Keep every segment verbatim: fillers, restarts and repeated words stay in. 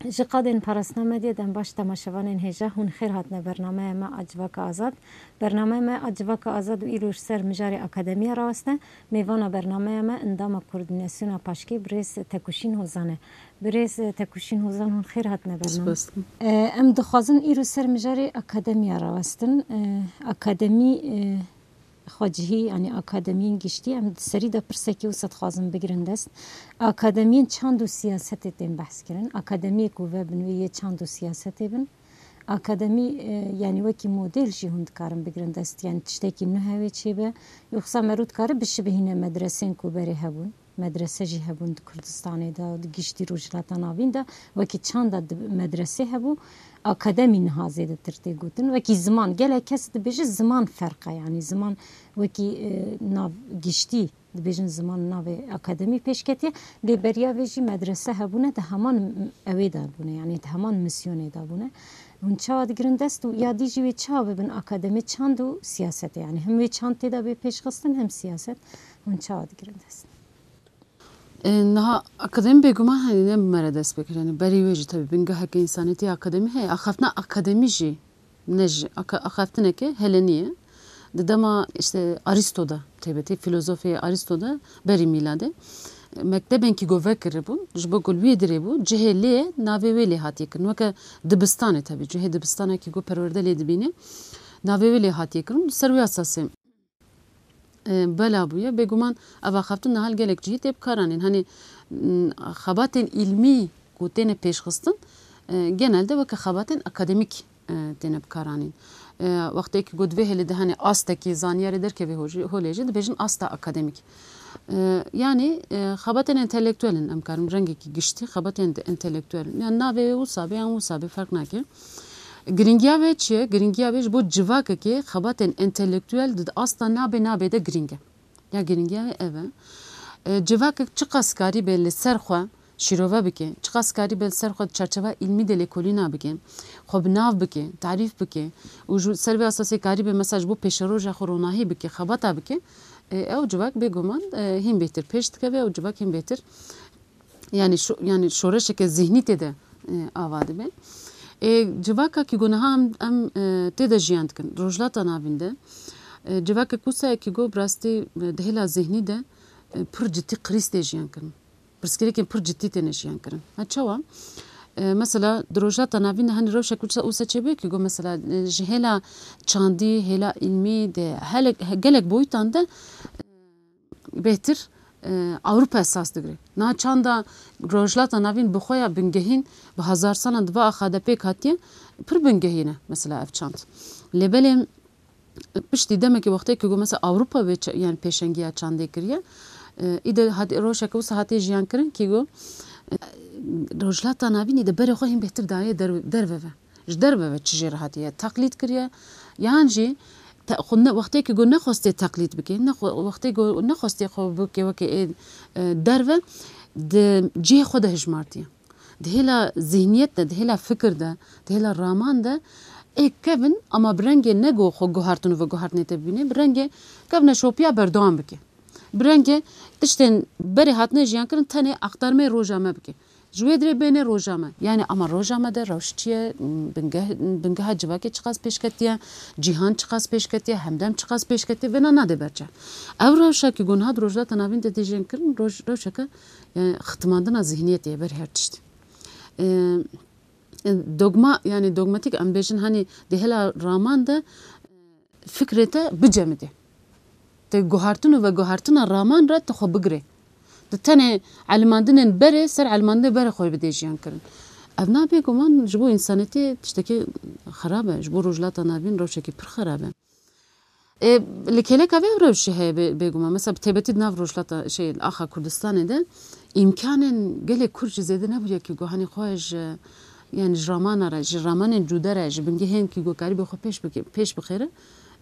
Ji qadên Parastina Medyê dem baş temaşevanên hêja, hûn xêr hatine bernameya me a Civaka Azad. Bernameya me a Civaka Azad û îro ji ser mijarê akademiya rawestine. Mêvana bernameya me endama koordînasyona paşkê birêz Tekuşîn Hozan e. Birêz Tekuşîn Hozan, hûn xêr hatine bername. Spas dikim. E, em dixwazin îro ser mijarê akademiya rawestin. E, akademî, e, xwecihî, yanî akademiyên giştî, em di serî de pirsekî wisa dixwazin bigirin dest. Akademiyên çand û siyasetê tên behs kirin. Akademiyê ku vebin wê yê çand û siyasetê bin. Akademî, e, yanî wekî model jî hûn dikarin bigirin dest, yanî tiştekî nuh ew ê çêbe. Yoxsa mero dikare bişibihîne medresên ku berê hebûn. Medrese jî hebûn di Kurdistanê de, di giştî Rojhilata Navîn de. Wekî çanda di medresê hebû, akademî niha zêdetir tê gotin. Wekî ziman, gelek kes dibêje ziman ferq e, yanî ziman wekî, e, nav giştî dibêjin ziman navê akademî pêş ketiye. Lê beriya vê jî medrese hebûne, di heman m-, ewê de bûne, yanî di heman misyonê de bûne. Hûn çawa digirin dest û ya dî jî wê çawa bibin akademî çand û siyasetê? Yanî hem wê çand tê de bê pêşxistin hem siyaset. Hûn çawa digirin dest? E, niha akademî bêguman, hani, ne bi me re dest pê kir. Yani berî wê jî tabii bingeheke însaniyetî akademî heye. Axaftina akademî jî ne ji aka-, axaftineke helenî ye. Di dema, işte, Aristo de, taybetî filozofê Aristo de berî mîladê, e, mektebên kî go vekiribûn, ji bo ku li wê dirê bû, cihê lê navê wê lê hatiye kirin. Weke dibistanê tabii, cihê dibistanekî go perwerde lê dibîne, navê wê lê hatiye kirin. Li ser wê esasê e, bela bûye. Bêguman ev axaftin niha li gelek cihî tê bikaranîn. Hani, m, xebatên îlmî ku têne pêşxistin, e, genelde weke xebatên akademîk, e, têne bikaranîn. E, wextê ku got vê hêlê de hani astekî zanyarê derkeve ho-, holê jî dibêjin asta akademîk. E, yanî, e, xebatên entelektuel in, em karin rengekî giştî xebatên de-, entelektuel in. Yan navê wisa be, yan wisa be, ferq nake. Giringiya vê çi ye? Giringiya vê ji bo civakekê xebatên entelektuel di asta nabê nabê de giring e. Ya giringiya wê ev e. E, civakek çiqas karîbe li ser xwe şîrove bike, çiqas karîbe li ser xwe di çarçeva îlmî de lêkolîna bike, xwe bi nav bike, tarîf bike û ji ser vê esasê karîbe mesela ji bo pêşeroja xwe ronahî bike, xebata bike, e, ew civak bêguman, e, hîn bêhtir pêş dikeve, ew civak hîn bêhtir Yani şo-, yani şoreşeke zihnî tê de, e, ava dibe. E, civaka kî go niha em, em, e, tê de jiyan dikin. Rojhilata Navîn de, e, civakek wisa ye kî go bi rastî, e, di hêla zihnî de, e, pir cidî krîz tê jiyan kirin. Pirsgirêkên pir cidî têne jiyan kirin. Ha çawa? E, mesela di Rojhilata Navîn de hani rewşek wisa, wisa çêbûye kî go mesela, e, ji hêla çandî, hêla îlmî de helek, he-, gelek boyutan de, e, bêhtir, e, Ewropa esas digire. Niha çanda Rojhilata Navîn bi xwe ya bingehîn bi hezar salan di va axa de pêk hatiye, pir bingehîn e mesela ev çand. Lê belê piştî demekê wextê ku mesela Ewropa vê ça-, yani pêşengiya çandê kiriye, e, îde hat-, rojeke wisa hatiye jiyan kirin kî go, e, Rojhilata Navînî de berê xwe hîn bêhtir daye der-, derve ve. Ji derve ve çi jê re hatiye teqlîd kiriye, yan jî te-, xwe ne, wextê ku go nexwestiye teqlîd bike, ne xwe, wextê ku nexwestiye xwe bike weke ê, e, derve, di cihê xwe de hijmartiye. Di hêla zihniyet de, di hêla fikir de, di hêla raman de ê kevin, ama bi rengê ne go xwe guhartin û veguhartinê te bibîne, bi rengê kevneşopiya berdewam bike. Bi rengê tiştên berê hatine jiyan kirin tenê aktarmeyê roja me bike. Ji wê dirê bêne roja me. Yani ama roja me de rewş çi ye, bingeh-, bingeha civakê çiqas pêşketiye, cîhan çiqas pêşketiye, hemdem çiqas pêşketiye, vêna nade ber çav. Ew rewşa ku niha di Rojhilata Navîn de tê jiyan kirin, roj-, rewşeke, yani, xitimandina zihniyetê ye ber her tiştî. E, e, dogma, yani dogmatik em bêjin, hani di hêla raman de, e, fikrê te bicemidê. Te guhartin û veguhartina raman re te xwe bigirê. Tu tenê elimandinên berê ser elimandinê berê xwe bidê jiyan kirin. Ev na bêguman ji bo însanetiyê tiştekî xerab e, ji bo Rojhilata Navîn rewşekî pir xerab e. Ê, li kêleka vê rewşê heye bê-, bêguman. Mesela bi taybetî di nav Rojhilata, şey, axa Kurdistanê de îmkanên gelek kur jî zêde nebûye ku hanî xwe ji, yani ji ramana re, ji ramanên cude re, ji bingehên ku karîbe xwe pêş bike, pêş bixêre,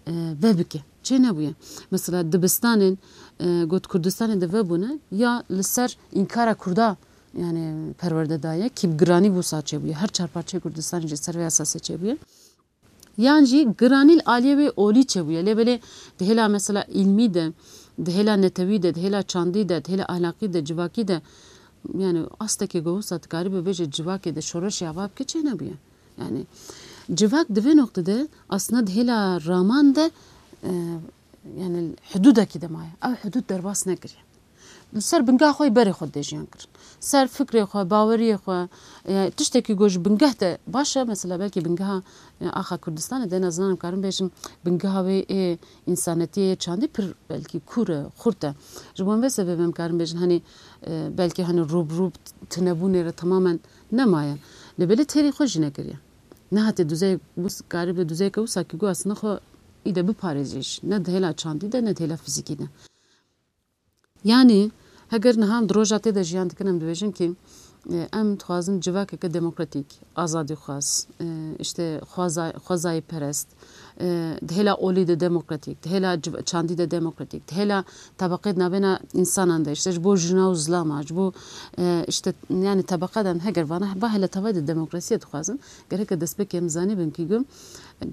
e, vebike. Çê nebûye. Mesela dibistanên, e, got Kurdistanê de vebûne, ya li ser înkara Kurda, yani perwerde daye, kî bi giranî wisa çêbûye. Her çar parçeyê Kurdistanê jî ser vê esasê çêbûye. Yan jî giranî li aliyê wê olî çêbûye. Lê belê di hêla mesela îlmî de, di hêla netewî de, di hêla çandî de, di hêla ahlaqî de, civakî de Yani astekê go wisa dikarî bibêje civakê de şoreşê ava bike çênebûye. Yani civak di vê noqtede aslında di hêla raman de, e, yani hududekî de maye. Ew hudud derbas nekiriye. Li ser bingeha xwe yê berê xwe dê jiyan kirin. Ser fikrê xwe, baweriyê xwe, e, tiştekî ku ji bingeh de baş e, mesela belkî bingeha, e, axa Kurdistanê de, ez nizanim karim bêjim, bingeha wê ê însanetiyê yê çandî pir belkî kûr e, xurt e. Ji bo vê sebebê em karin bêjin, hani, e, belkî hani rû bi rû tinebûnê re temamen nemaye. Lê belê têrî xwe jî nekiriye. Nehatiye duzeyek, wis-, karibe duzeyeke wisa ki ku aslında xwe îde biparêze jî. Ne di hêla çandî de, ne di hêla fizîkî de. Yani, heger niha em di roja tê de jiyan dikin, em dibêjin ki, e, em dixwazin civakeke demokratîk, azadîxwaz, e, işte xweza-, xwezayîperest, e, di hêla olî de demokratîk, di hêla civ-, çandî de demokratîk, di hêla tebeqê di navbêna însanan de, işte ji bo jina û zilama, ji bo, e, işte, yani tebeqadan heger vana, va hêla tevayê de demokrasiyê dixwazin, gereke destpêkê em zanîbin ki gu,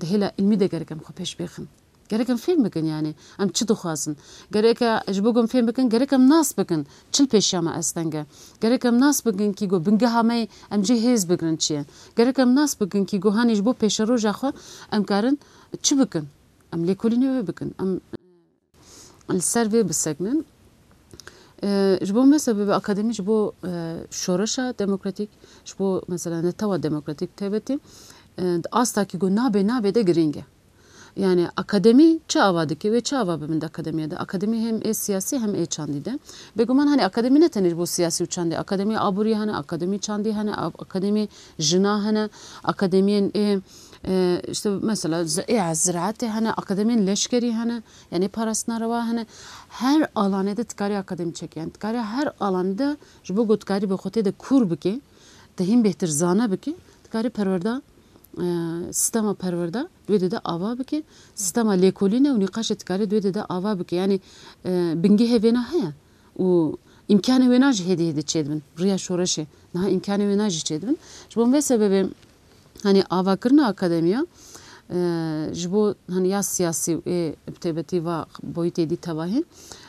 di hêla ilmî de gerek em xwe pêş bêxin. Gerek em fêm bikin, yani em çi dixwazin. Gerek e ji bo ku em fêm bikin, gerek em nas bikin çi li pêşiya me asteng e. Gerek em nas bikin ki ku bingeha me em cê hêz bigirin çi ye. Gerek em nas bikin ki ku hanî ji bo pêşeroja xwe em karin çi bikin. Em lêkolînê wê bikin. Em li ser vê bisekinin. E, ji bo me sebebê akademî ji bo, e, şoreşa demokratîk, ji bo mesela netewa demokratîk taybetî, e, di asta ki ku nabê nabê de girîng e. Yani akademî çi ava dike, wê çi ava bi min de akademiya de? Akademî hem ê siyasî hem ê çandî de. Bêguman hani akademî ne tenê ji bo siyasî û çandî. Akademî aborî hene, akademî çandî hene, a-, akademî jina hene, akademiyên ê, e, işte mesela zi-, ê ziraetê hene, akademiyên leşkerî hene, yani parastina rewa hene. Her alanê de dikarî akademî çêke. Yani dikarî her alanê de ji bo ku dikarî bi xwe tê de kûr bike, te hîn bêhtir zane bike, dikarî perwerda e, sistema perwerda di wê de de ava bike, sistema lêkolîne û nîqaşê dikarê di wê de de ava bike. Yani, e, bingehê vêna heye û îmkanê wêna jî hêdî hêdî çêdibin. Riya şoreşê niha îmkanê wêna jî çêdibin. Ji bo vê sebebê, hani avakirina akademiya, e, ji bo, hani ya siyasî û ê bi taybetî va boyîtê dî tevahî,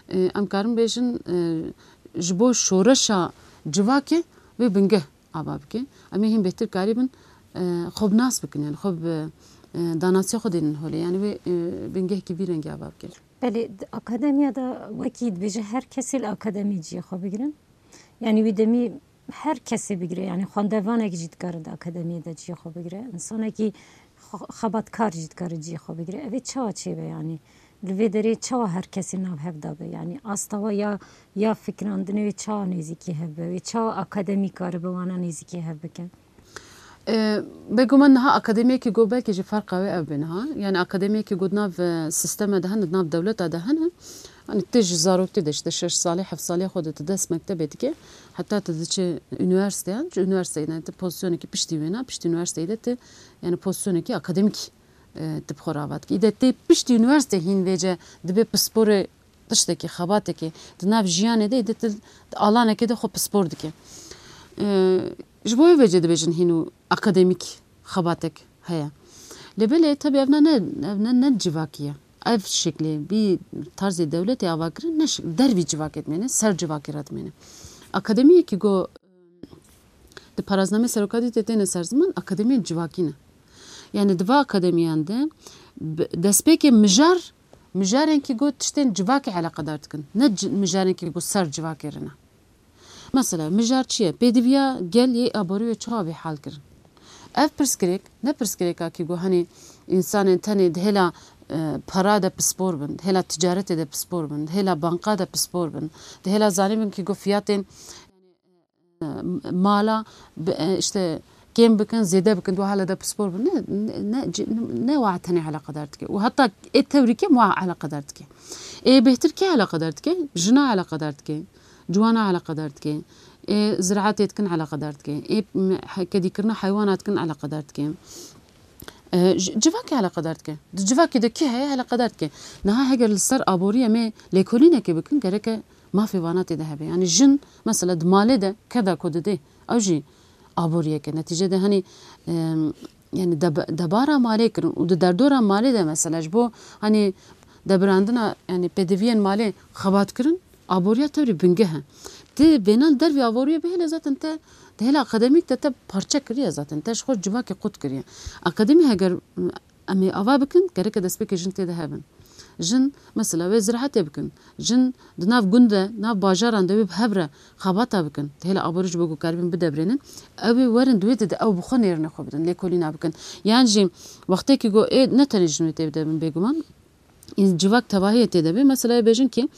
e, em karin bêjin, e, ji bo şoreşa civakê wê bingeh ava bike. Em ê hîn bêhtir karîbin, e, xwe bi nas bikin, yani xwe bi, e, danasiya xwe dênin holê. Yani wê, e, bingehekî vî rengî ava bike. Belê, di akademiya de wekî dibêje her kesê li akademiyê cihê xwe bigire. Yani wî demî her kesê bigire. Yani xwendevanek jî dikare di akademiyê de cihê xwe bigire. Însanekî xwe-, xebatkar jî dikare cihê xwe bigire. Ev ê çawa çêbe yani? Li vê derê çawa her kesê nav hev de be? Yani asta we ya, ya fikirandinê wê çawa nêzîkî hev be? Wê çawa akademî karibe wana nêzîkî hev bike? E, bêguman niha akademiyekî got belkî jî ferqa wê ev be niha. Yani akademiyekî got nav, e, sisteme de hene, nav dewleta de hene. Hani tu ji zaroktî de işte şeş salî, heft salî xwe de tu dest mektebê dike. Heta tu diçe unîversîteyan, ji unîversîteyê de tu pozisyonekî piştî wêna, piştî unîversîteyê de tu, yani pozisyonekî akademîk e, tu bi xwe rava dikî. Îde tê piştî unîversîtê hîn vêce dibe pisporê tiştekî, xebatekê. Di nav jiyanê de, îde tu di alanekê de xwe pispor dike. E, ji bo wê vêce dibêjin hîn û akademîk xebatek heye. Lê belê, tebî ev ne, ne, ev ne, ne civakî ye. Ev şeklê, vî tarzê dewletê avakirin ne şek-, dervî civakê dimêne, ser civakê re dimêne. Akademiyekî go Di paraznameyê serokatî de têne ser ziman, akademiyên civakî ne. Yani di va akademiyan de bi-, destpêkê mijar, mijarên ki got tiştên civakê eleqedar dikin. Ne ci-, mijarên ki got ser civakê re ne. Mesela mijar çi ye? Pêdiviya gel yê aborî wê çawa bê hal kirin? Ev pirsgirêk, ne pirsgirêka ki got hani însanên tenê di hêla, e, para de pispor bin, di hêla ticaretê de pispor bin, di hêla banka de pispor bin, di hêla zanîbin ki got fiyatên mala bi, e, işte kêm bikin, zêde bikin, di hala de pispor bin. Ne, ne, ne, ne wa tenê eleqedar dike. Û heta ê tewrî kêm wa eleqedar dike. Ê bêhtir kê eleqedar dike? Jina eleqedar dike. Ciwana eleqedar dike. Ê ziraetê dikin eleqedar dike. Ê, m-, he-, kedîkirina heywana dikin eleqedar dike. E, ji-, civakê eleqedar dike. Di civakê de kî heye eleqedar dike. Niha heger li ser aboriyê em ê lêkolînekê bikin, gereke mafê vana tê de hebe. Yani jin mesela di malê de keda ku didê, ew jî aboriyeke. Netîcede hani, em, yani deb-, debara malê kirin û di derdora malê de mesela ji bo hani debirandina yani pêdiviyên malê xebat kirin, aboriya tewrî bingeh e. Ti bêhna li dervî avoriyê bihêle zaten te di hêla akademîk de te parçe kiriye zaten. Te ji xwe civakê qut kiriye. Akademî heger, m, em ê ava bikin, gereke destpêkê jin tê de hebin. Jin, mesela, wê ziraetê bikin. Jin di nav gund de, nav bajaran de wê bi hev re xebata bikin. Di hêla aborî ji bo ku karibin bidebrênin. Ew ê werin di wê de, de ew bi xwe nêrine xwe bidin, lêkolîna bikin. Yan jî wextê ku ê ne tenê jin wê tê de bin bêguman, civak tevahiyê tê de be. Mesela, ê bêjin ki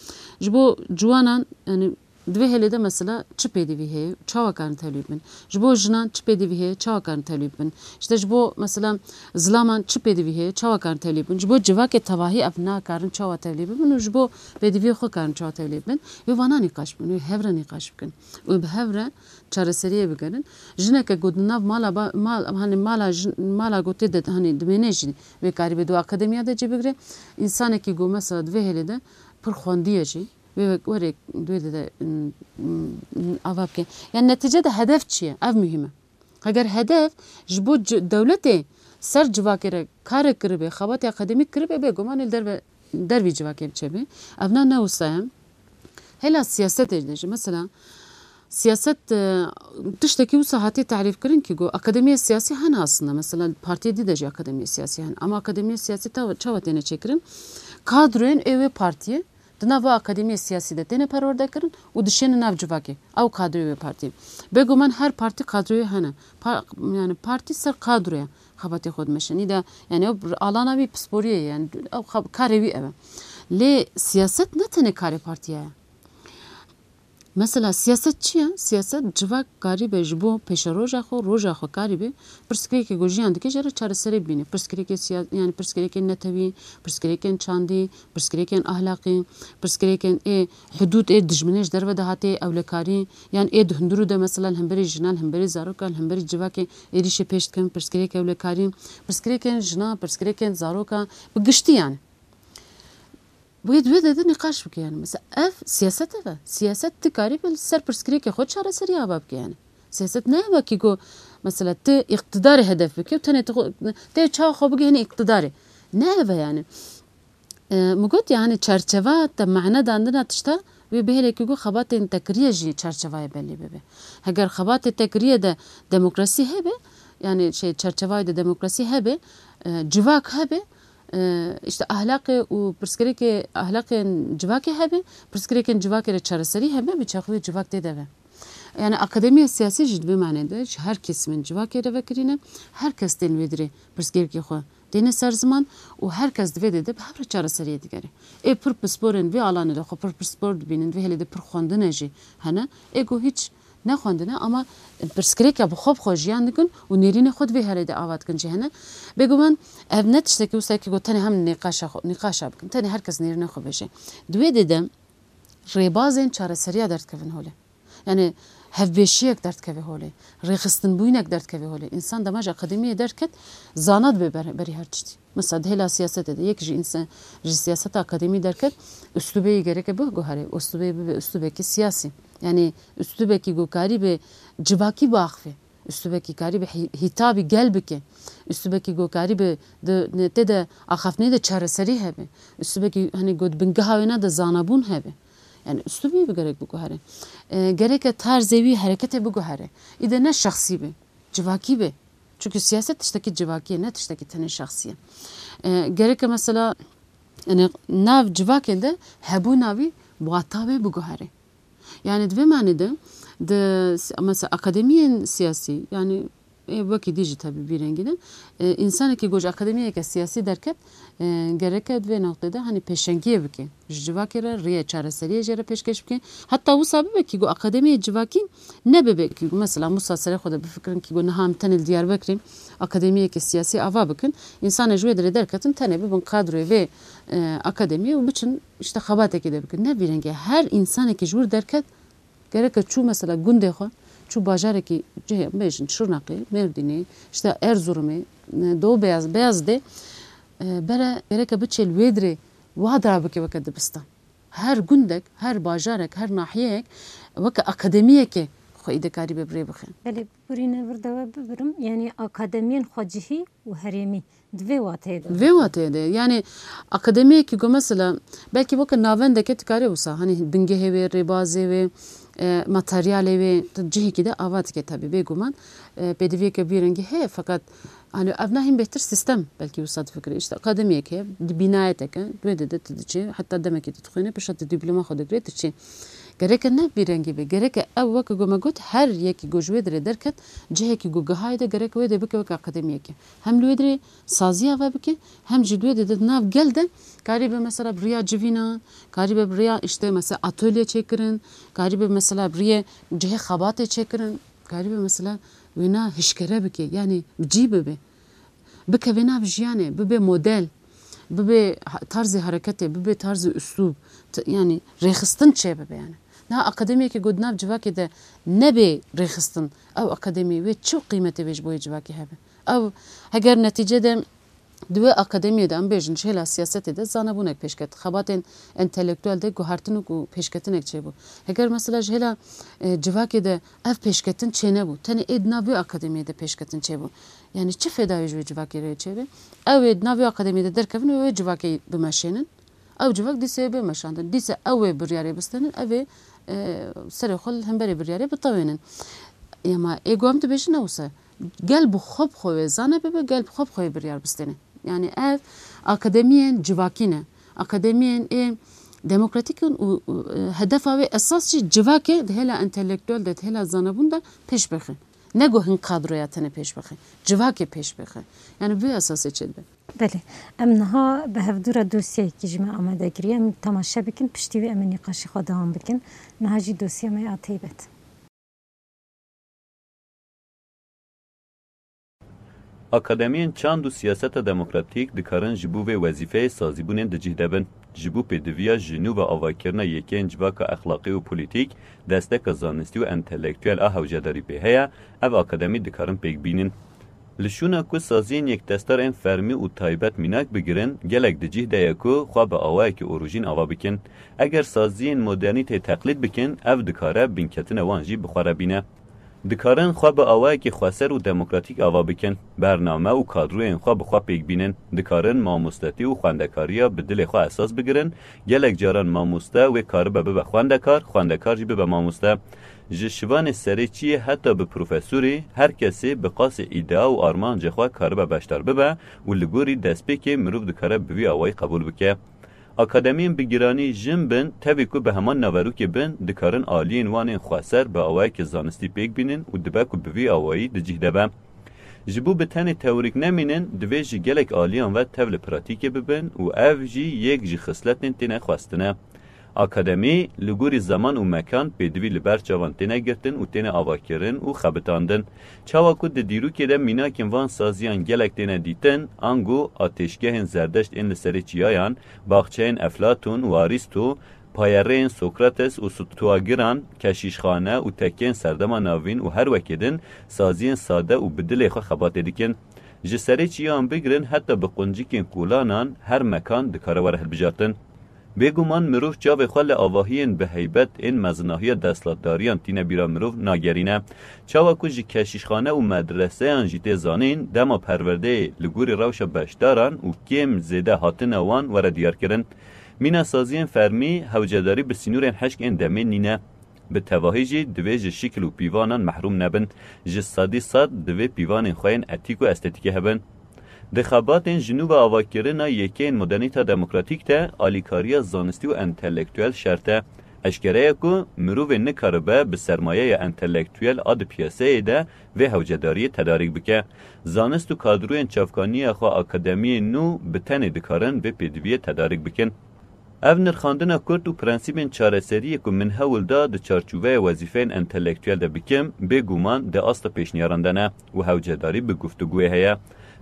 ji bo ciwanan, yani, di vê hêlê de, mesela, çi pêdivî heye, çawa karin tevlî bin? Ji bo jinan çi pêdivî heye, çawa karin tevlî bin? İşte ji bo, mesela, zilaman çi pêdivî heye, çawa karin tevlî bin? Ji bo civakê tevahî ev nakarin çawa tevlî bibin û ji bo pêdiviyê xwe karin çawa tevlî bin? Wê vana nîqaş bikin, wê hev re nîqaş bikin. Wê bi hev re çareseriyê bigerin. Jineke ku di nav mala ba-, mal, hani mala jin, mala ku tê de, hani dimêne jî wê karî bê di akademiya de cî bigire. Însanekî ku mesela di vê hêlê de pir xwendiye jî, wê wek-, were di wê de, de, m, m, ava bike. Yani netice de hedef çi ye? Ev muhîm e. Heger hedef ji bo ci-, dewletê ser civakê re karek kiribe, xebatê akademîk kiribe, bêguman ê li derve, dervî civakê biçe be. Ev na ne wisa ye. Hêla siyasetê de jî, mesela, siyaset, e, tiştekî wisa hatiye tarîfkirin ki got, akademiya siyasî hene aslında. Mesela, partiyê dî de jî akademiya siyasî hene. Ama akademiya siyasî ta-, çawa têne çêkirin? Kadroyên ê wê partiyê di nav vê akademiyê siyasî de têne perwerdekirin û dişêne nav civakê. Ew kadroyê wê partiyê. Bêguman her partî kadroyê hene. Pa-, yani partî ser kadroya xebatê xwe dimeşe. Nî de, yani ew alana wî pisporiyê ye, yani ew xeb-, karê wî ev e. Lê siyaset ne tenê karê partiya ye. Mesela siyaset çi ye? Siyaset civak karîbe ji bo pêşeroja xwe, roja xwe karîbe pirsgirêkê ku jiyan dike jê re çareserî bîne. Pirsgirêkê siya-, yani pirsgirêkên netewî, pirsgirêkên çandî, pirsgirêkên ahlaqî, pirsgirêkên ê hudûd ê dijminê ji derve de hatê ewlekarî, yan ê di hundirû de mesela li hemberî jinan, li hemberî zarokan, li hemberî civakê êrîşê pêş dikin, pirsgirêk ewlekarî, pirsgirêkên jinan, pirsgirêkên zarokan, bi giştî yani. Wê di wê de, de nîqaş bike yani. Mesela ev siyaset ev e. Siyaset tu karî bi li ser pirsgirêkê xwe çareserî ava bike yani. Siyaset ne ev e ki ku mesela tu îqtidarê hedef bike û tenê tu xwe, tê çawa xwe bigihînî îqtidarê. Ne ev e yani. E, min got yani çerçeva te mane dandina tişta wê bihêle ki ku xebatên te kiriye jî çerçevayê belî bibe. Heger xebatê te kiriye de demokrasî hebe, yani şey çerçevayê de demokrasî hebe, e, civak hebe, e, işte ahlaqê û pirsgirêkê, ahlaqên civakê hebe, pirsgirêkên civakê re çareserî hebe, bi çaxivê civak tê de be. Yani akademiya siyasî jî di vê manê de ji her kesimên civakê re vekirî ne, her kes tên wê dirê pirsgirêkê xwe têne ser ziman û her kes di vê dê de bi hev re çareseriyê digere. Ê pir pisporên vê alanê de xwe pir pispor dibînin, vê hêlê de pir xwendine jî hene. Ê ku hîç nexwendine ama pirsgirêka bi xwe bi xwe jiyan dikin û nêrînê xwe di vê herê de ava dikin jî hene. Bêguman ev ne tiştekî wisa ki got tenê hem nîqaşa xwe, nîqaşa bikin. Tenê her kes nêrînê xwe bêje. Di wê dê de rêbazên çareseriya derdikevin holê. Yani hevbeşiyek derdikeve holê. Rêxistinbûyînek derdikeve holê. Însan dema ji akademiyê derket, zana dibe ber-, berî her tiştî. Mesela di hêla siyasetê de yek ji însan ji siyaseta akademî derket, uslubê yê gereke biguhere. Uslubê bibe uslubekî siyasî. Yani uslubekî ku karî bi civakî biaxive. Uslubekî karî bi hî-, hîtabî gel bike. Uslubekî ku karî bi di, ne, tê de axaftinê de çareserî hebe. Uslubekî, hani, ku di bingeha wêna de zanabûn hebe. Yani uslubê bi gerek biguhere. E, gereke tarzê wî hereketê biguhere. Îde ne şexsî be, civakî be. Çünkü siyaset tiştekî civakî ye, ne tiştekî tenê şexsî ye. E, gereke mesela, yani nav civakê de hebûna wî muhatabê biguhere. Yani di vê manê de, di, mesela akademiyên siyasî, yani, ê, wekî dî jî tebî vî rengî ne. E, însanekî ku ji akademiyeke siyasî derket, e, gereke di vê noqtê de, hani, pêşengiyê bike. Ji civakê re rêyê çareseriyê jê re pêşkêş bike. Heta wisa bibe ki ku akademiyê civakî nebibe ki ku mesela wisa serê xwe de bifikirin ki ku niha em tenê li Diyarbekirê akademiyeke siyasî ava bikin. Însanê ji wê derê derketin tenê bibin kadroyê vê, e, akademiyê û biçin işte xebatekê de bikin. Ne vî rengê. Her însanekî ji wir derket gereke çû mesela gundê xwe, çû bajarekî cihê, bêjin Şirnexê, Mêrdînê, işte Erzurumê, e, Doğu Beyaz, Beyazidê, e, bere gereke biçê li wê dirê wa dira bike weke dibistan. Her gundek, her bajarek, her nahiyeyek weke akademiyekê xwe îde karîbe bi rê bixe. Belê, birîne vir de we bibirim, yanî akademiyên xwecihî û herêmî di vê wateyê de. Vê wateyê de, yanî akademiyekî ku mesela belkî weke navendeke tu karê wisa, hani bingehê wê, rêbazê wê, e, materyalê wê tu cihekî de ava dike tabi bêguman. E, pêdiviyeke vî rengî heye, feqet, hani, ev nahîn bêhtir sîstem belkî wisa difikire. İşte akademiyek heye, di bînayeteke, wê de, de tu diçî, heta demekî tu dixwîne, pişta tu dîploma xwe digirê, tu çî. Gereke ne vî rengî be, gereke ev weke ku me got, her yekî ku ji wê derê derket, cihekî ku gihayê de gereke wê de bike weke akademiyekê. Hem li wê derê saziya ve bike, hem jî di wê de di nav gel de karî be mesela bi riya civînan, karî be bi riya işte mesela atölye çêkirin, karî be mesela bi riyê cihê xebatê çêkirin, karî be mesela wêna hişkere bike, yani bi cî bibe. Bikeve nav jiyanê, bibe model, bibe ha-, tarzê hareketê, bibe tarzê uslûb, t-, yani rêxistin çêbibe yani. Niha akademiyekê ku di nav civakê de nebe rêxistin, ew akademî wê çi qîmetê wê ji bo yê civakê hebe? Ew heger netîce de di wê akademiyê de, em bêjin, ji hêla siyasetê de zanebûnek pêş ket. Xebatên entelektuel de guhertin û ku pêşketinek çêbû. Heger mesela ji hêla, e, civakê de ev pêşketin çênebû, tenê ê di nav wê akademiyê de pêşketin çêbû. Yani çi fêda wê ji wê civakê re çêbe? Ew ê di nav wê akademiyê de derkevin û wê civakê bimeşênin. Ew civak dîsa ê bê meşandin. Dîsa ew ê biryarê bistênin, ev ê, e, serê xwe li hemberê biryarê bitewênin. Ema ê ku em dibêjin ne wisa. Gel bi xwe bi xwe wê zane bibe, gel bi xwe bi xwe yê biryar bistêne. Yani ev akademiyên civakî ne. Akademiyên ê demokratîk in û, û, e, hedefa wê esas jî civakê di hêla entelektuel de, di hêla zanebûn de pêş bixe. Ne ku hin kadroya tenê pêş bixe. Civakê pêş bixe. Yani bi vê esasê çêdibe. Belê. Em niha bi hevdû re dosyayekî ji me amade kiriye. Em temaşe bikin, piştî wê em ê nîqaşê xwe dewam bikin. Niha jî dosya me ya taybet. Akademiyên çand û siyaseta demokratîk dikarin ji bo vê wezîfeyê sazîbûnên di cih de bin. Ji bo pêdiviya ji nû ve avakirina yekeyên civaka exlaqî û polîtîk, desteka zanistî û entelektuel a hewcedarî pê heye, ev akademî dikarin pêk bînin. Li şûna ku saziyên yekdestar ên fermî û taybet mînak bigirin, gelek di cih de ye ku xwe bi awayekî orojîn ava bikin. Eger saziyên modernîteyê teqlîd bikin, ev dikare bînketina wan jî bi xwe re bîne. Dikarin xwe bi awayekî xweser û demokratîk ava bikin. Bername û kadroyên xwe bi xwe pêk bînin. Dikarin mamostetî û xwendekariya bi dilê xwe esas bigirin. Gelek caran mamoste wê karibe bibe xwendekar, xwendekar jî bibe mamoste. Ji şivanê serêçiyê heta bi profesorî, her kesê bi qasê îdea û armanca xwe karibe beşdar bibe û li gorî destpêkê mirov dikare bi vî awayî qebûl bike. Akademiyên bi giranî jin bin, tevî ku bi heman naverokê bin, dikarin aliyên wan ên xweser bi awayekî zanistî pêk bînin û dibe ku bi vî awayî di cih de be. Ji bo bi tenê teorîk nemînin, divê ji gelek aliyan ve tev li pratîkê bibin û ev jî yek ji xisletên têne xwestine. Akademî, li gorî zeman û mekan pêdivî li ber çavan têne girtin û têne avakirin û xebitandin. Çawa ku di dîrokê de mînakên van saziyan gelek têne dîtin, ango atêşgehên Zerdeşt ên li serê çiyayan, baxçeyên Eflatûn û Arîsto, payereyên Sokrates û Stoagiran, keşîşxane û tekeyên Serdema Navîn û her wekê din saziyên sade û bi dilê xwe xebatê dikin. Ji serê çiyan bigirin heta bi quncikên kolanan her mekan dikare were hilbijartin. Bêguman mirov çavê xwe li avahiyên bi heybet ên mezinahiya desthilatdariyan tîne bîra mirov nagerîne. Çawa ku ji keşîşxane û medreseyan jî tê zanîn, dema perwerdeyê li gorî rewşa beşdaran û kêm zêde hatina wan were diyarkirin. Mîna saziyên fermî hewcedarî bi sînorên hişk ên demê nîne. Bi tevahî jî divê ji şikil û pîvanan mehrûm nebin. Ji sedî sed divê pîvanên xwe yên etîk û estetîkê hebin. Di xebatên ji nû ve avakirina yekeyên modernîta demokratîk de alîkariya zanistî û entelektuel şert e. Eşkere ye ku mirovê nikaribe bi sermayeya entelektuel a di piyaseyê de vê hewcedariyê tedarîk bike. Zanist û kadroyên çavkaniya xwe akademiyên nû bi tenê dikarin vê pêdiviyê tedarîk bikin. Ev nirxandina kurt û prensîbên çareseriyê ku min hewl da di çarçoveya wezîfeyên entelektuel de bikim, bêguman di asta pêşniyaran de ne û hewcedarî bi guftugûyê heye.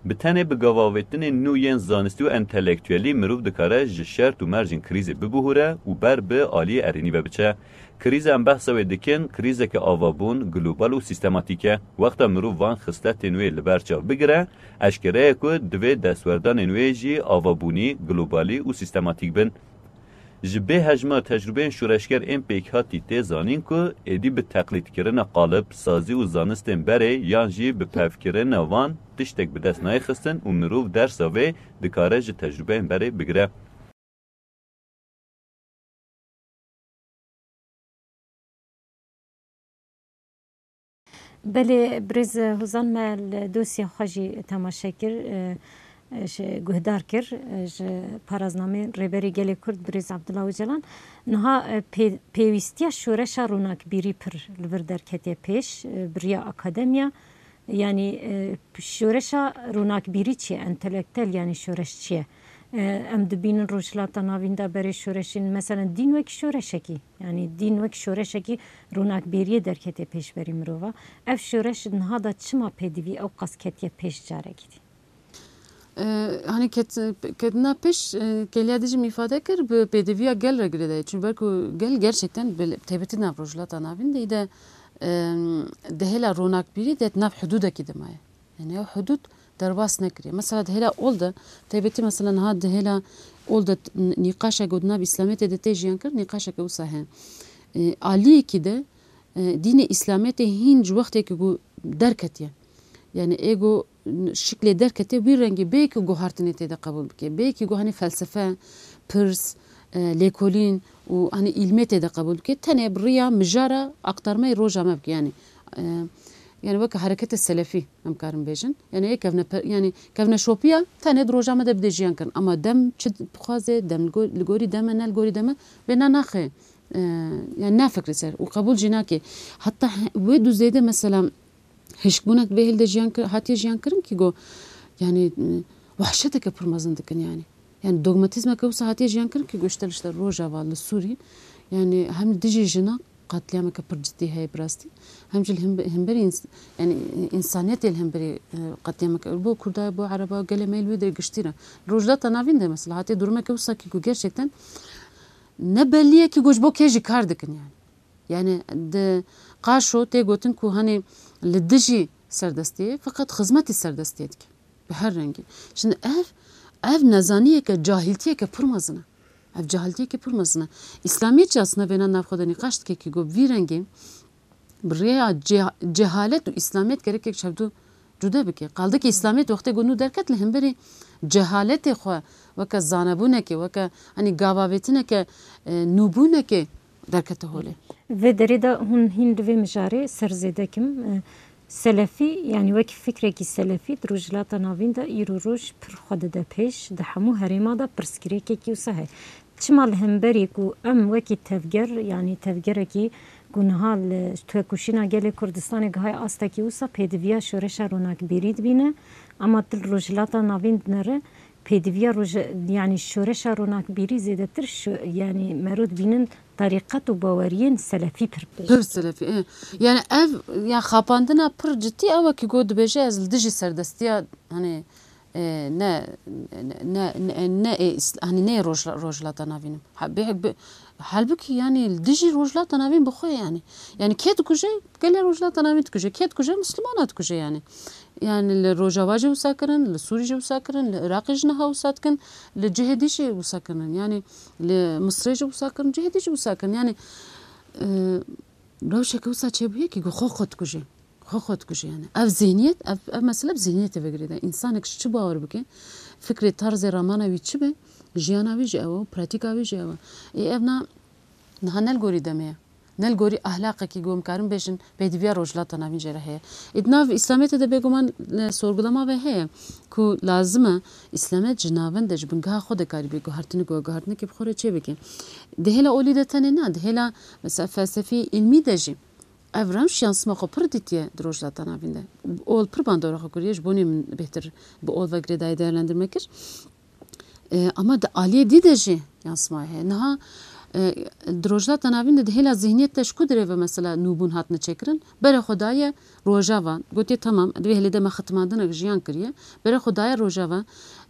Bi tenê bi gavavêtinên nû yên zanistî û entelektuelî mirov dikare ji şert û mercên krîzê bibihûre û ber bi aliyê erênî ve biçe. Krîza em behsa wê dikin, krîzeke avabûn, global û sîstematîk e. Wexta mirov van xisletên wê li ber çav bigire, eşkere ye ku divê destwerdanên wê jî avabûnî, globalî û sîstematîk bin. Ji bê hejmar tecrûbeyên şoreşger ên pêkhatî tê zanîn ku êdî bi teqlîdkirina qalib, sazî û zanistên berê yan jî bi pevkirina wan tiştek bi dest nayê xistin û mirov dersa vê dikare ji tecrûbeyên berê bigire. Belê, birêz Hozan me li dosya xwe jî temaşe kir, e, e, ji guhdar kir, e, ji paraznamê Rêberê Gelê Kurd birêz Abdullah Ocalan. Niha, e, pê-, pêwîstiya şoreşa ronakbîrî pir li vir derketiye pêş, e, bi riya akademiya. Yanî, e, şoreşa ronakbîrî çi ye? Entelektel, yanî şoreş çi ye? E, em dibînin Rojhilata Navîn de berê şoreşên, meselen, dîn wekî şoreşekî, yanî dîn wekî şoreşekî ronakbêriyê derketê pêşberî mirova. Ev şoreş niha de çima pêdivî ew qas ketiye pêş carekî dî? E, hani ket-, ketina pêş, e, keliya dijî min îfade kir, bi pêdiviya gel re girêdayî. Çunku ber ku gel gerçekten bi taybetî nav Rojhilata Navîn de, e, di hêla ronakbîrî de nav hududekî de maye. Yani ew hudud derbas nekiriye. Mesela di hêla ol de, taybetî mesela niha di hêla ol de t-, n-, nîqaşek got nav îslametê de tê jiyan kir, nîqaşeke wisa heye. E, aliyekî de, e, dînê îslametê hîn ji wextê ku derketiye. Yani ê ku şiklê derketiye wî rengî bê ku guhartinê tê de qebûl bike. Bê ku hani felsefe, pirs, e, lêkolîn û hani îlmê tê de qebûl bike. Tenê bi riya mijara aktarmeyê roja me bike. Yani, e, yani weke hereketê selefî em karin bêjin. Yani ê kevne pe-, yani kevneşopiya tenê di roja me de bide jiyan kirin. Ama dem çi bixwaze, dem li go-, li gorî deme, ne li gorî deme, vêna naxe. E, yani nafikre ser û qebûl jî nake. Heta he-, wê du zêde mesela hişkbûnek vê hêl de jiyan kir-, hatiye jiyan kirin ki go, yani, e, wehşeteke pir mezin dikin yani. Yani dogmatîzmeke wisa hatiye jiyan kirin ki go işte, işte Rojava li Sûrî, yani hem dijî jina qetlîameke pir cidî heye bi rastî, hem jî li hembe-, hemberî ins-, yani însaniyetê li hemberî, e, qetlîameke bo Kurda, bo Ereba, gelê me li wê de giştî re. Rojhilata Navîn de mesela hatiye durumeke wisa ki go gerçekten ne bellî ye ki go ji bo kê jî kar dikin yani. Yani di Qaşo tê gotin ku hani li dijî serdestiyê, feqet xizmetî serdestiyê dike. Bi her rengî. Şimdi ev, ev nezaniyeke, cahiltiyeke pir mezin e. Ev cahiltiyeke pir mezin e. Îslamiyet jî aslında vêna nav xwe de nîqaş dike ki go bi vî rengî bi rêya ce-, cehalet û îslamiyet gerek yek ji hevdu cude bike. Qaldikî îslamiyet wextê ku nû derket li hemberî cehaletê xwe weke zanebûnekê, weke, hani, gavavêtineke, e, nûbûnekê derkete holê. Vê derê de hûn hîn li vê mijarê ser zêde kim. E, selefî, yanî wekî fikrekî selefî di Rojhilata Navîn de îro roj pir xwe dide pêş, di hemû herêma de pirsgirêkekî wisa heye. Çima li hemberî ku em wekî tevger, yanî tevgerekî ku niha li Tuekoşîna Gelê Kurdistanê gihaye astekî wisa pêdiviya şoreşa ronakbîrî dibîne, ama tu li Rojhilata Navîn dinere pêdiviya roje-, yanî şoreşa ronakbîrî zêdetir şo-, yanî mero dibînin terîqet û baweriyên selefî pir pêş. Pir selefî, e. Yani ev, ya xapandina pir cidî ew e ki got dibêje ez li dijî serdestiya, hani, e, ne, ne, ne, ne, ne ê Îsl-, hani ne ê Rojla-, Rojhilata Navîn im. Ha, bê-, bê-, halbukî yani li dijî Rojhilata Navîn bi xwe yani. Yani kê dikuje? Gelê Rojhilata Navîn dikuje. Kê dikuje? Mislimana dikuje yani. Yani li Rojava jî wisa kirin, li Sûrî jî wisa kirin, li Iraqê jî niha wisa dikin, li cihê dî jî wisa kirin. Yani li Misirê jî wisa kirin, cihê dî jî wisa kirin. Yani, e, rewşeke wisa çêbûye ki xwe xwe dikuje. Xwe xwe dikuje yani. Ev zihniyet, ev, ev mesele bi zihniyetê ve girêdayî. Însanek ji çi bawer bike, fikrê, tarzê ramana wî çi be, jiyana wî jî ew e, pratîka wî jî ew e. Ê ev na niha ne li gorî demê ye. Ne li gorî ahlaqekî ku em karin bêjin pêdiviya Rojhilata Navîn jê re heye. Ê di nav Îslamiyetê de bêguman, e, sorgulama ve heye ku lazim e Îslamiyet ji navend de, ji bingeha xwe de karî bê guhertinik û guhertinekê bi xwe re çê bike. Di hêla olî de tenê na, di hêla mesela felsefî, îlmî de jî ev rewş yan sima xwe pir dîtiye di Rojhilata Navîn de. Ol pir bandora xwe kiriye, ji bonê min bêhtir bi ol ve girêdayî değerlendirme kir. E, ama di aliyê dî de jî yansımayê heye. Niha, e, di Rojhilata Navîn de di hêla zihniyet de ji ku dirê ve mesela nûbûn hatine çêkirin? Berê xwe daye Rojava, gotiye, tamam, di vê hêlê de me xitimandinek jiyan kiriye. Berê xwe daye Rojava,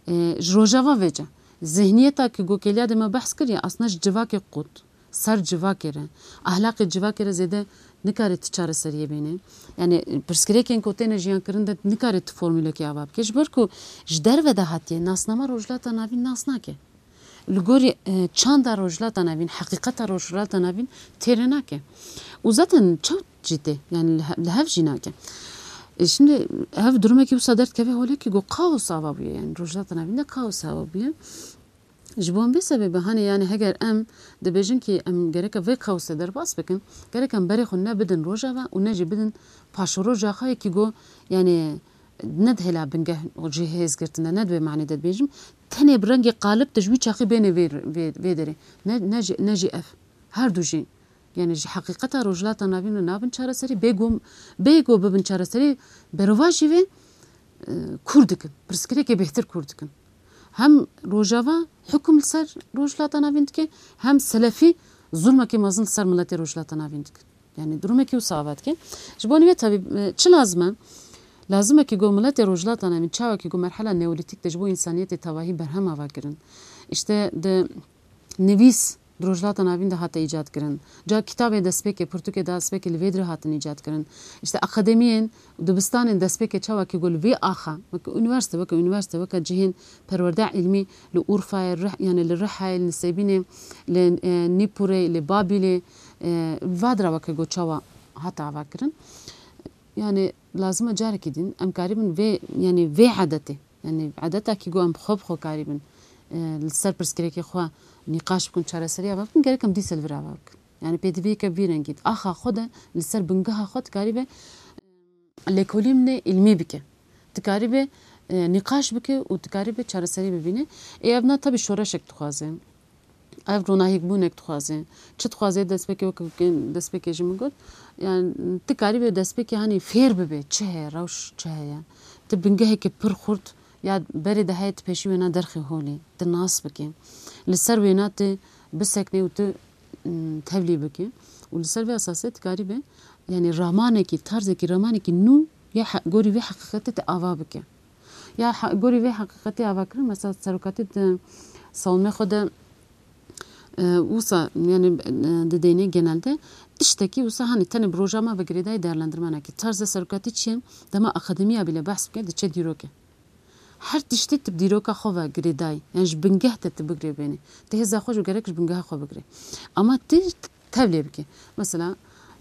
e, ji Rojava vêce. Zihniyeta ki gokeliya de me behs kiriye, aslında ji civakê qut. Ser civakê re, ahlaqê civakê re zêde nikare ti çareseriyê bîne. Yani pirsgirêkên ku têne jiyan kirin de nikare ti formulekê ava bike. Ji ber ku ji derve de hatiye, nasnama Rojhilata Navîn nas nake. Li gorî, e, çanda Rojhilata Navîn, heqîqeta Rojhilata Navîn têrê nake. Û zaten çewt jî tê, yani li he-, li hev jî nake. E, şimdi ev durumekî wisa derdikeve holê ki go kaos ava bûye, yani Rojhilata Navîn de kaos ava bûye. Ji bo vê sebebê hanê, yani heger em dibêjin ki em gereke vê qewse derbas bikin, gerek em berê xwe ne bidin Rojava û ne jî bidin paşeroja xwe yekî go, yani ne di hêla bingeh û cihêz girtin de, ne di vê manê de dibêjim, tenê bi rengê qalib de ji wî çaxî bêne vê, vê, vê derê. Ne, ne jî, ne jî ev. Her du jî. Yani ji heqîqeta Rojhilata Navîn re nabin çareserî, bê go, bê go bibin çareserî, berovajî vê, e, kûr dikin. Pirsgirêkê bêhtir kûr dikin. Hem Rojava hukm li ser Rojhilata Navîn dike, hem selefî zulmekê mezin li ser miletê Rojhilata Navîn dikin. Yani durumekî wisa ava dike. Ji bo nî vê tabi, e, çi lazim e? Lazim e ki go miletê Rojhilata Navîn çawa ki go merhela neolîtîk de ji bo însaniyetê tevahî berhem ava kirin. İşte di nivîs di Rojhilata Navîn de hate îcad kirin. Ca kitabê destpêkê, pirtûkê destpêkê li vê dirê hatin îcad kirin. İşte akademiyên, dibistanên destpêkê çawa ki go li vê axa, weke unîversîte, weke unîversîte, weke cihên perwerdeya îlmî li Urfayê, Rih-, yani li Rihayê, li Nisêbînê, li, e, Nîpûrê, li Babîlê, e, vadira weke go çawa hate ava kirin. Yani lazim e carekî din em karibin vê, yani vê edetê, yani edeta ki go em xwe bi xwe karibin, e, li ser pirsgirêkê xwe nîqaş bikin, çareseriya ava bikin, gerek em dîsa li vir ava bikin. Yani pêdiviyeke vî rengî di axa xwe de li ser bingeha xwe dikaribe, e, lêkolînê îlmî bike. Dikaribe, e, nîqaş bike û dikaribe çareserî bibîne. Ê ev na tabi şoreşek dixwaze. Ev ronahîkbûnek dixwaze. Çi dixwaze destpêkê, weke destpêkê ji min got. Yani tu karîbe destpêkê hanî fêr bibe. Çi heye, rewş çi heye? Tu bingeheke pir xurt ya berê de heye, tu pêşî wêna derxê holê. Tu nas bike. Li ser wêna tu bisekne û tu, mm, tevlî bike. Û li ser vê esasê tu karîbe, yani ramanekî, tarzekî, ramanekî nû ya he-, gorî vê heqîqetê tu ava bike. Ya he-, gorî vê heqîqetê ava kirin, mesela serokatî di savunmê xwe de, e, wisa, yani, e, di deynê genelde tiştekî wisa, hani tenê bi roja me ve girêdayî değerlendirmenekî. Tarzê serokatî çi ye? Dema akademiya bile behs bike, diçe dîrokê. Her tiştî tu bi dîroka xwe ve girêdayî. Yani ji bingeh te tu bigirê bênê. Tu hêza xwe ji gerek ji bingeha xwe bigirê. Ama tu tevlê bike. Mesela,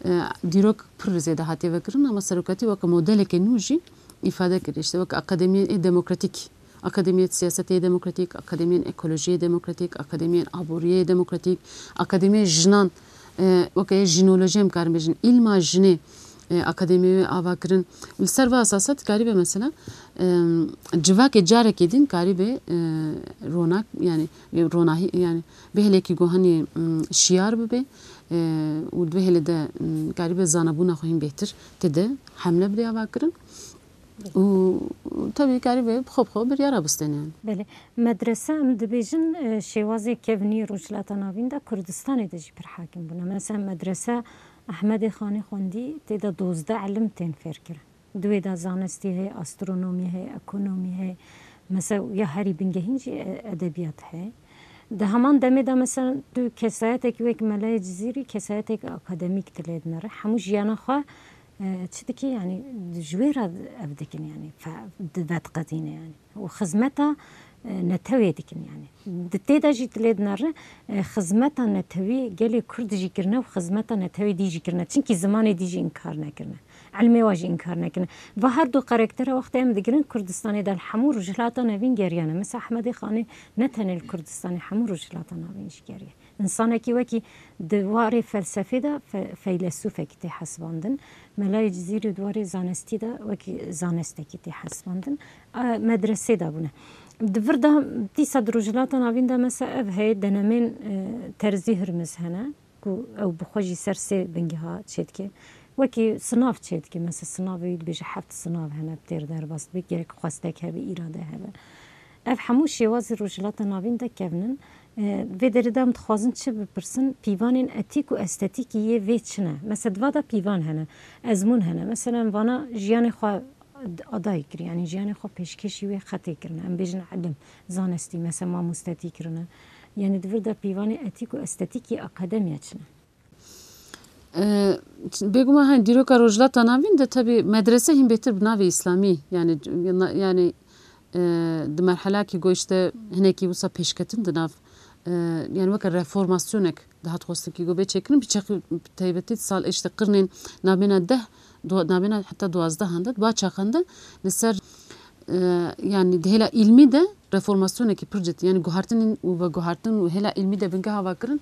e, dîrok pir zêde hatiye vekirin, ama serokatî weke modeleke nû jî îfade kiriye. İşte weke akademiyên ê demokratîk, akademiyên siyasetê yê demokratîk, akademiyên ekolojiyê demokratîk, akademiyên aboriyê demokratîk, akademiyên jinan, e, weke yê jînolojiyê em karin bêjin, îlma jinê, e, akademiyê wê ava kirin. Li ser va esasa dikaribe mesela, e, civakê carekê din karibe, e, ronak, yani, e, ronahî, yani, bêhêlekî go hanî, mm, şiyar bibe, e, û di bêhêlê de, mm, karibe zanebûna xwe hîn bêhtir tê de hemle bide ava kirin. Û tabii karibe bi xwe bi xwe biryara bistêne yani. Belê. Medrese, em dibêjin, e, şêwazê kevnî Rojhilata Navîn de Kurdistanê de jî pir hakim bûne. Mesela medrese Ehmedê Xanê xwendî, tê de dozdeh ilim tên fêr kirin. Di wê de zanistî heye, astronomî heye, ekonomî heye. Mesela ya herî bingehîn jî, e, edebiyat heye. Di heman demê de mesela tu kesayetek wek Melayê Cizîrî, kesayetek akademîk tu lê dinere. Hemû jiyana xwe, e, çi dike, yani ji wê re ev dikin, yani fe-, di vediqetîne yani. Û xizmeta, e, netewê dikin yani. Di tê de jî tu lê dinere, e, xizmeta netewî gelê Kurd jî kirine û xizmeta netewê dî jî kirine. Çimkî zimanê dî jî înkar nekirine. Ilmê wa jî înkar nekirine. Va her du karaktera wextê em digirin Kurdistanê de li hemû Rojhilata Navîn geriyane. Mesela Ehmedê Xanê ne tenê li Kurdistanê, hemû Rojhilata Navîn jî geriye. Însanekî wekî di warê felsefê de fe-, feylesûfekî tê hesibandin. Melayê Cizîrî di warê zanistî de wekî zanestekî tê hesibandin. A, medresê de bûne. Di vir de dîsa di Rojhilata Navîn de mesela ev heye denemên, e, Terzî Hurmiz hene. Ku ew bi xwe jî ser sê bingeha çêdike. Wekî sinav çêdike, mesela sinavê wî dibêje heft sinav hene, bi têr derbas dibe, gerek xwestek hebe, îrade hebe. Ev hemû şêwazî Rojhilata Navîn de kevnin. E, vê derê de em dixwazin çi bipirsin? Pîvanên etîk û estetîkî yê vê çi ne? Mesela di va de pîvan hene, ezmûn hene. Mesela em vana jiyanê xwe adayî kir, yanî jiyanê xwe pêşkêşî wê xetê kirine. Em bêjin ilim, zanistî, mesela mamostetî kirine. Yanî di vir de pîvanê etîk û estetîkî akademiya çi ne? E, bêguman, hani dîroka Rojhilata Navîn de tebî medrese hîn bêtir bi navê îslamî, yani, yani, e, di merhelakî go işte hinekî wisa pêşketin di nav, e, yani weke reformasyonek dihat xwestin kî go bê çêkirin, bi çeqî taybetî di sal işte qirnên nabêna deh, du-, nabêna heta duwazdehan de, di va çaxan de li ser, e, yani di hêla îlmî de reformasyonekî pir cidî, yanî guhartin û veguhartin û hêla îlmî de bingeha va kirin,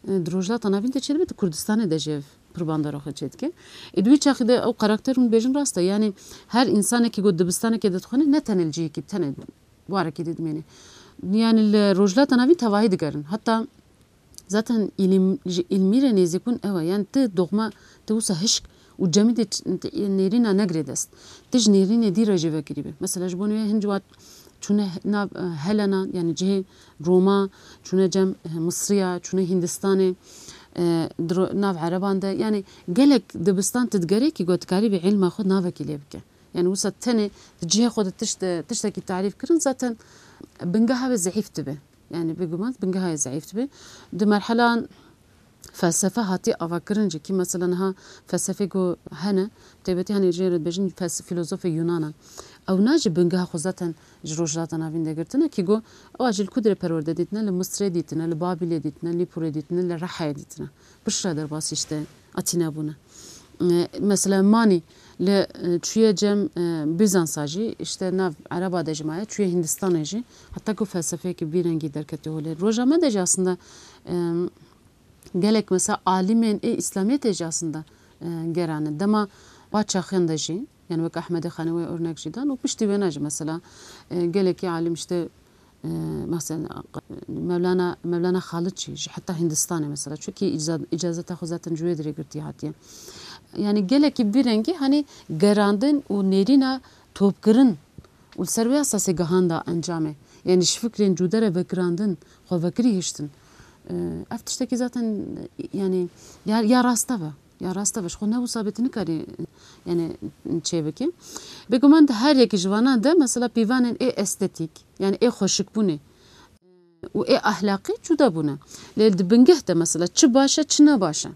e, di Rojhilata Navîn de çêdibe, di Kurdistanê de jî ev pir bandora xwe çêdike. Ê, di wî çaxî de ew karakter hûn dibêjin rast e. Yanî her însanekî ku dibistanekê de dixwîne, ne tenê li cihekî, tenê warekî de dimêne. Yanî li Rojhilata Navîn tevahî digerin. Heta zaten îlim-, ji îlmî re nêzîkbûn ew e. Yanî ti doxma, ti wisa hişk û cemidê ç-, ti nêrîna negirê dest. Ti ji nêrînê dî re jî vekirî be. Mesela ji bo nû hin ciwat çûne he-, nav, e, Helena, yanî cihê Roma, çûne cem, e, Misriya, çûne Hindistanê, e, dro-, nav Ereban de. Yanî gelek dibistan ti digerê kî got karî bi îlma xwe navekî lê bike. Yanî wisa tenê di cihê xwe de tişt, tiştekî tarîf kirin zaten bingeha wê zeîf dibe. Yanî bêguman bingeha wê zeîf dibe. Di merhelan felsefe hatiye avakirin jî, kî mesela niha felsefê ku hene, taybetî hene jê re dibêjin fels-, filozofê Yunanan. Ewna jî bingeha xwe zaten ji Rojhilata Navîn de girtine, kî ku ewa jî li ku dirê perwerde dîtine, li Misrê dîtine, li Babîlê dîtine, li Pûrê dîtine, li Rehayê dîtine. Piştre derbasî işte Atîne bûne. E, mesela Manî li, e, çûye cem, e, Bîzansa jî, işte nav Ereba de jî maye, çûye Hindistanê jî, heta ku felsefeyekî vî rengî derketiye holê. Roja me de jî aslında, e, gelek mesela alîmên ê Îslamiyetê jî aslında, e, gerane. Dema wa çaxiyan de jî, yani wek Ehmedê Xanewê örnek jî dan û piştî wêna jî mesela, e, gelekî alîm işte, e, mesela Mevlana, Mevlana Xalid jî, jî heta Hindistanê mesela. Çunkî îca-, îcazeta xwe zaten ji wê dirê girtî hatiye. Yani gelekî vî rengî hani gerandin û nêrîna topkirin û li ser wê esasê gihanda encamê. Yani ji fikrên cude re vekirandin, xwe vekirî hiştin. E, ev tiştekî zaten, yani ya, ya rast e. Ya rast e, ji xwe ne wisa bê tu nikarî, yani, çê bikî. Bêguman di her yekî ji vanan de mesela pîvanên ê estetîk, yani ê xweşikbûnê û ê ahlaqî cuda bûne. Lê di bingeh de mesela çi baş e, çi ne baş e.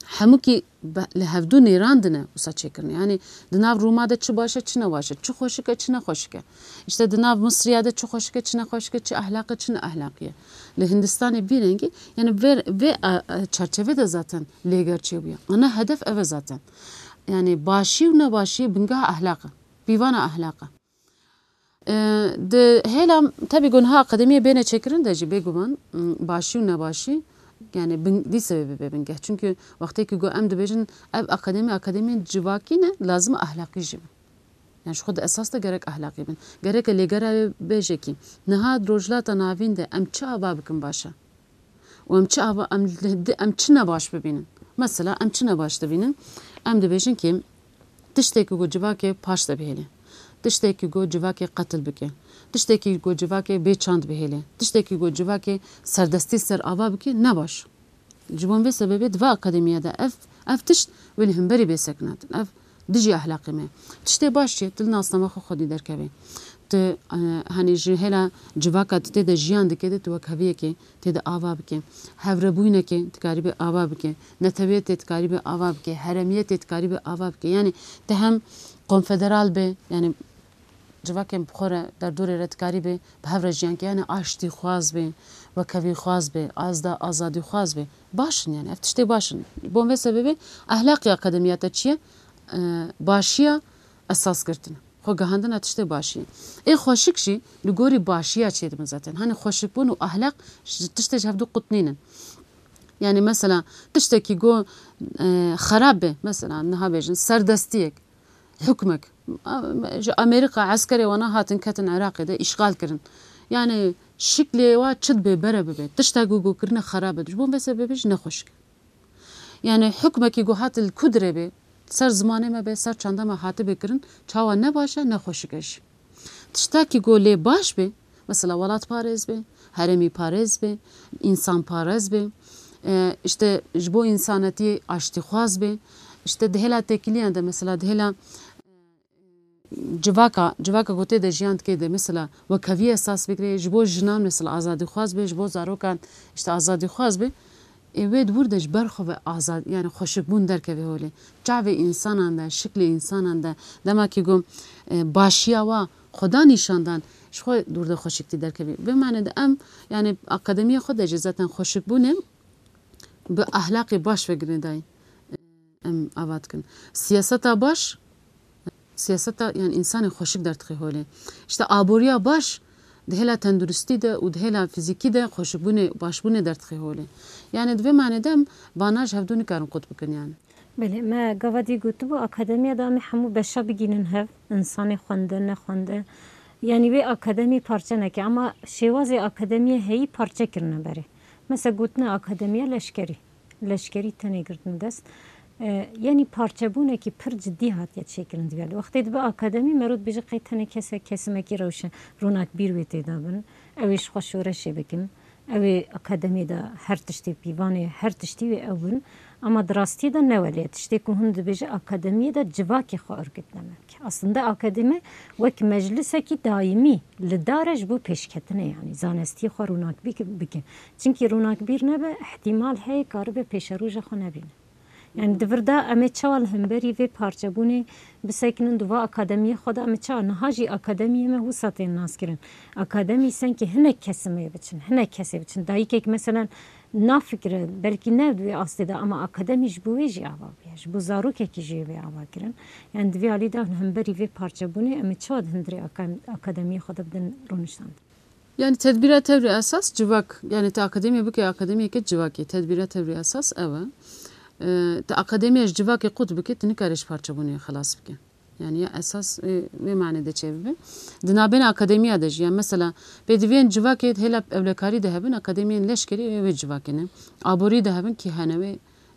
Hemûkî be-, li hevdû nêrandine wisa çêkirine. Yani di nav Rûma de çi baş e, çi ne baş e, çi xweşik e, çi ne xweşik e. İşte di nav Misriya de çi xweşik e, çi ne xweşik e, çi ahlaq e, çi ne ahlaqî ye. Li Hindistanê vî rengî, yani vê, vê, a, a, çerçeve de zaten lêger çêbûye. Ana hedef ev e zaten. Yani başî û nebaşî bingeha ahlaq e. Pîvana ahlaq e. E, di hêla tebî ku niha akademiyê bêne çêkirin de jî bêguman, m, başî û nebaşî, yani bin-, dîse wê bibe bingeh. Çünkü wextê ku em dibêjin ev akademi, akademiyên civakî ne, lazim e ahlaqî jî bin. Yani ji xwe di esas de gerek ahlaqî bin. Gerek e lêgera wê bêje kî niha di Rojhilata Navîn de em çi ava bikin baş e? Û em çi ava, em, em çi nebaş bibînin? Mesela em çi nebaş dibînin? Em dibêjin kî tiştekî ku civakê paş de bihêle, tiştekî ku civakê qetil bike, tiştekî ku civakê bê çand bihêle, tiştekî ku civakê serdestî ser ava bike, nebaş. Ji bo vê sebebê di va akademiya de ev, ev tişt wê li hemberî bê sekinandin. Ev dijî ahlaqê me. Tiştê baş çi? Tu li nasname xwe xwedî derkevê. Tu, e, hani ji hêla civaka tu tê de jiyan dike de tu wekheviyekê tê de ava bike. Hevrebûyinekê dikarî bê ava bike. Netewiyetê dikarî bê ava bike. Heremiyetê dikarî bê ava bike. Yani te hem konfederal be, yani civakên bi xwe re derdorê re dikarî bê bi hev re jiyan ke, yani aştîxwaz bê, wekhevîxwaz bê, azda-, azadîxwaz bê. Baş in yani, ev tiştê baş in. Ji bo vê sebebê ahlaqê akademiya te çi ye? E, başiya esas girtin. Xwe gihandina tiştê başiyê. Ê xweşik jî li gorî başiya çêdibin zaten. Hani xweşikbûn û ahlak ji tiştê ji hevdu qut nînin. Yani mesela tiştekî go, e, xerab be, mesela niha bêjin serdestiyek, hukmek. A-, ji Amerîka eskerê wana hatin ketin Iraqê de îşxal kirin. Yani şiklê wa çi dibe bere bibe. Tişta go go kirine xerab be. Ji bo vê sebebê jî nexweşik. Yani hukmekî ku hat li ku dirê bê, ser zimanê me be, ser çanda me hatibê kirin, çawa ne baş e, ne xweşik e jî. Tiştakî ku lê baş bê, mesela welatparêz bê, herêmîparêz bê, însanparêz bê, e, işte ji bo însanetiyê aştîxwaz bê, işte di hêla têkiliyan de, mesela di hêla civaka, civaka ku tê de jiyan dike de mesela wekheviyê esas bigire, ji bo jinan mesela azadîxwaz be, ji bo zarokan işte azadîxwaz be, ê wê di wir de ji ber xwe ve azad, yani xweşikbûn derkeve holê. Çavê însanan de, şiklê însanan de, dema ki ku, e, başiya wa xweda nîşan dan, ji xwe dûr de xweşiktî derkevî. Vê mane de em, yani akademiya xwe de jî zaten xweşikbûnê bi ahlaqê baş ve girêdayî, em ava dikin. Siyaseta baş, siyaseta, yani, însanê xweşik derdixê holê. İşte aboriya baş, Di hêla tenduristî de û di hêla fîzîkî de xweşbûnê, başbûnê derdixê holê. Yani di vê manê de em vana ji hevdû nikarin qut bikin yani. Belê, me gava dî gotibû, akademiya de em ê hemû beşa bigînin hev, insanê xwende, nexwende. Yani wê akademî parçe neke, ama şêwazê akademiyê heyî parçe kirine berê. Mesela gotine akademiya leşkerî. Leşkerî tenê girtin dest. E, yani parçebûnekî pir cidî hatiye çêkirin di vê alî. Wextê dibe akademî, mero dibêje qey tenê kesek, kesimekî rewşen, ronakbîr wê tê de bin. Ew ê ji xwe şoreşê bikin. Ew ê akademiyê de her tiştê pîvanê, her tiştî wê ew bin. Ama di rastiyê de ne welê. Tiştê ku hûn dibêje akademiyê de civakê xwe örgütlemek. Aslında akademi wek meclisekî daîmî li dar e ji bo pêşketinê, yani zanestiyê xwe ronakbî bike. Çimkî ronakbîr nebe, ihtimal heye karibe pêşeroja xwe nebîne. Yani di vir de em ê çawa li hemberî vê parçebûnê bisekinin di va akademiyê xwe de, em ê çawa niha jî akademiyê me wisa tên naskirin. Akademî senkî hinek kesimê biçin, hinek kesê biçin. Dayikek meselen nafikire, belkî ne di wê astê de, ama akademî ji bo wê jî ava bûye. Ji bo zarokekî jî wê ava kirin. Yani di vê alî de hemberî vê parçebûnê em ê çawa di hundirê aka-, akademiyê xwe de bidin rûniştandin? Yani tedbîra tevri esas civak, yani te akademiye bike akademiyeke civakê, tedbîra tevri esas ew e. E, te akademiya ji civakê qut bike, tu nikare ji parçebûnê xelas bike. Yani ya esas, e, wê manê de çêbibe. Di nabêna akademiya de jî, yani mesela pêdiviyên civakê hêla ewlekarî de hebin, akademiyên leşkerî wê, wê civakê ne. Aborî de hebin kî hene wê,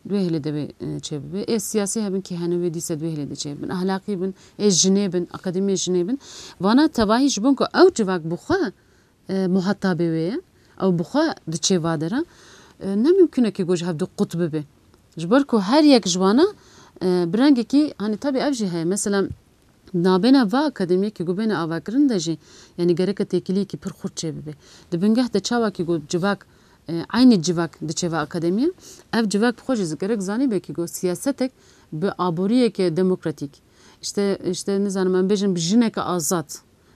di wê hêlê de wê, e, çêbibe. Ê siyasî hebin kî hene wê dîse di wê hêlê de çêbibin. Ahlaqî bin, ê jinê bin, akademiyê jinê bin. Vana tevahî ji bo ku ew civak bi xwe, e, muhatabê wê ye. Ew bi xwe diçê va dera. E, ne mimkun e ku ji hevdu qut bibe. Ji ber ku her yek ji wana, e, bi rengekî, hani tabi ev jî heye. Mesela nabêna va akademiyekî ku bêne avakirin de jî, yani gereke têkiliyekî pir xurt çêbibe. Di bingeh de çawakî ku civak, e, eynî civak diçe va akademiye, ev civak bi xwe jî gerek zanîbe kî ku siyasetek bi aboriyeke demokratîk, işte, işte nizanim em bêjin bi jineke azad,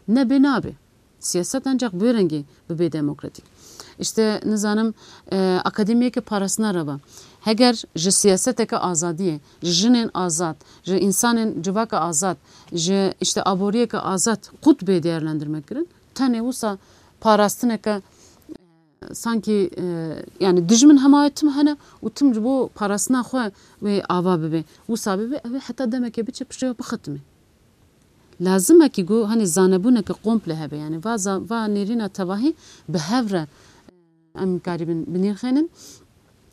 nebe nabe. Siyaset ancak bi wê rengî bibe demokratîk. İşte nizanim, e, akademiyeke parastina re be. Heger ji siyaseteke azadiyê, ji jinên azad, ji insanên civaka azad, ji işte aboriyeke azad qut bê değerlendirme kirin, tenê wisa parastineke, e, sankî, e, yani dijmin hema wê tim hene û tim ji bo parastina xwe wê ava bibe. Wisa bibe, ew ê heta demeke biçe piştre bixitime. Lazim e kî ku, hani, zanebûneke komple hebe, yani va za-, va nêrîna tevahî bi hev re em karibin binirxênin.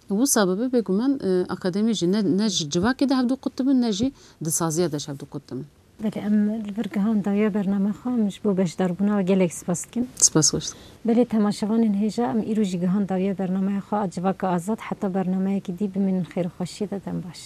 Wisa bibe, bêguman, e, akademî jî ne, ne ji civakê de hevdu qut dibin, ne jî di saziya de ji hevdu qut dibin. Belê, em li vir gihan dawiya bername xwe, em ji bo beşdarbûna we gelek spas dikin. Spas xweş. Belê, temaşevanên hêja, em îro jî gihan dawiya bernameya xwe a Civaka Azad, heta bernameyekî dî bimînin xêr û xweşiyê de, dem baş.